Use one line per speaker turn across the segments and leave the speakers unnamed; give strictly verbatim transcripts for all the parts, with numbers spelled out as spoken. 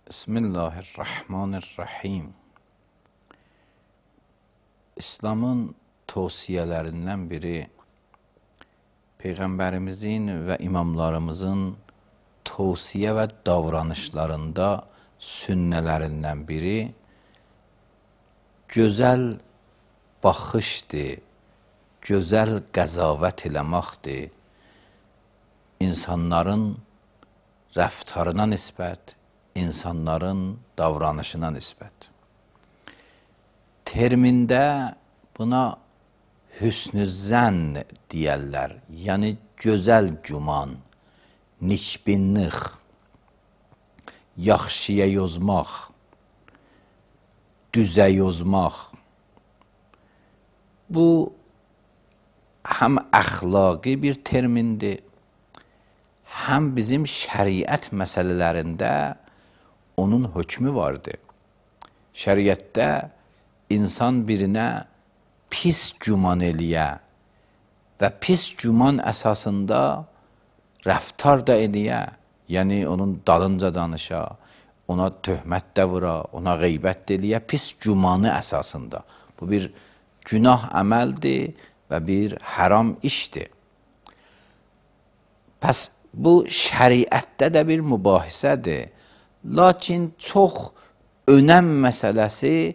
Bismillahirrahmanirrahim. İslamın tavsiyələrindən biri Peyğəmbərimizin və imamlarımızın tavsiyə və davranışlarında sünnələrindən biri gözəl baxışdır, gözəl qəzavət eləməkdir. İnsanların rəftarına nisbət, insanların davranışına nisbət. Termində buna hüsnü zənn deyərlər, yəni gözəl güman, niçbinlik, yaxşıya yozmaq, düzə yozmaq. Bu, həm əxlaqi bir termindir, həm bizim şəriət məsələlərində onun hökmü vardır. Şəriətdə insan birinə pis güman eləyə və pis güman əsasında rəftar da eləyə, yəni onun dalınca danışa, ona töhmət də vura, ona qeybət də eləyə, pis gümanı əsasında. Bu bir günah əməldir və bir haram işdir. Pəs bu şəriətdə də bir mübahisədir. Lakin çox önəm məsələsi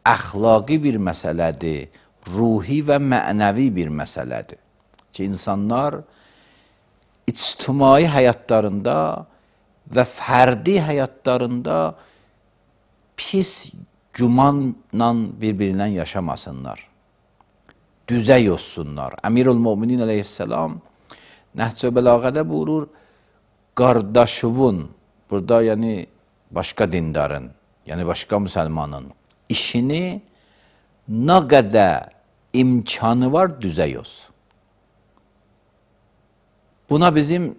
əxlaqi bir məsələdir, ruhi və mənəvi bir məsələdir. Ki, insanlar ictimai həyatlarında və fərdi həyatlarında pis gümanla bir-birindən yaşamasınlar, düzə yozsunlar. Əmirül-Müminin əleyhissalam Nəhc-i Bəlağədə buyurur, qardaşıvın, burada yəni başqa dindarın, yəni başqa müsəlmanın işini nə qədər imkanı var düzə yoz. Buna bizim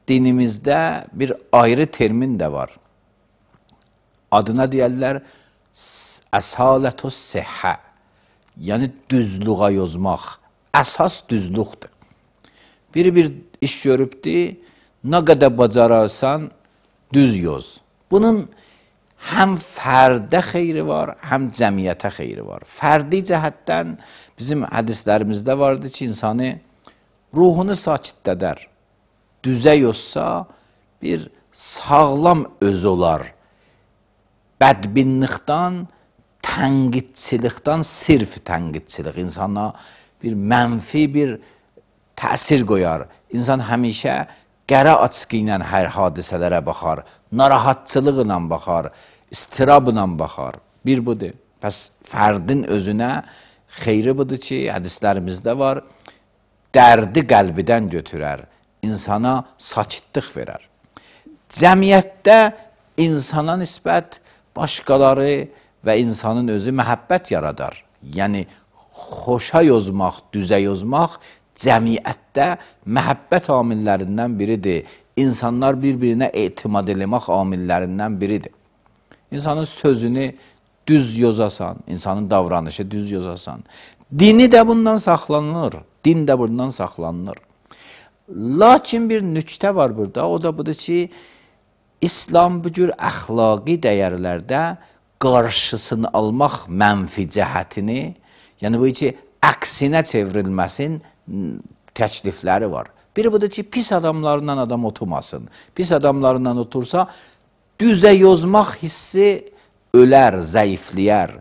dinimizdə bir ayrı termin də var. Adına deyərlər əsalətü səhhə, yəni düzluğa yozmaq, əsas düzluqdur. Biri bir iş görübdür, nə qədər bacararsan düz yoz. Bunun həm fərdə xeyri var, həm cəmiyyətə xeyri var. Fərdi cəhətdən bizim hədislərimizdə vardır ki, insanı ruhunu sakitdədər. Düzə yozsa bir sağlam öz olar. Bədbinlikdən, tənqidçilikdən, sirf tənqidçilik insana bir mənfi bir təsir qoyar. İnsan həmişə qərə açqı ilə hər hadisələrə baxar, narahatçılıqla baxar, istirabla baxar. Bir budur. Pəs fərdin özünə xeyri budur ki, hədislərimizdə var, dərdi qəlbidən götürər, insana sakitlik verər. Cəmiyyətdə insana nisbət başqaları və insanın özü məhəbbət yaradar. Yəni, xoşa yozmaq, düzə yozmaq cəmiyyətdə məhəbbət amillərindən biridir. İnsanlar bir-birinə etimad eləmək amillərindən biridir. İnsanın sözünü düz yozasan, insanın davranışı düz yozasan. Dini də bundan saxlanılır, din də bundan saxlanılır. Lakin bir nüktə var burada, o da budur ki, İslam bu cür əxlaqi dəyərlərdə qarşısını almaq mənfi cəhətini, yəni bu ki, əksinə çevrilməsin təklifləri var. Biri budur ki, pis adamlarından adam oturmasın. Pis adamlarından otursa, düzə yozmaq hissi ölər, zəifləyər.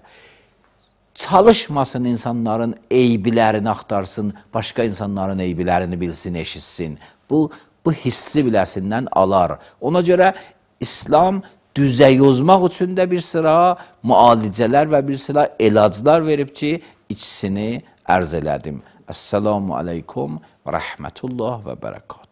Çalışmasın insanların eybilərini axtarsın, başqa insanların eybilərini bilsin, eşitsin. Bu, bu hissi biləsindən alar. Ona görə İslam düzə yozmaq üçün də bir sıra müalicələr və bir sıra elaclar verib ki, ikisini ərz elədim. Əssalamu aleykum və rəhmətullah və bərəkət.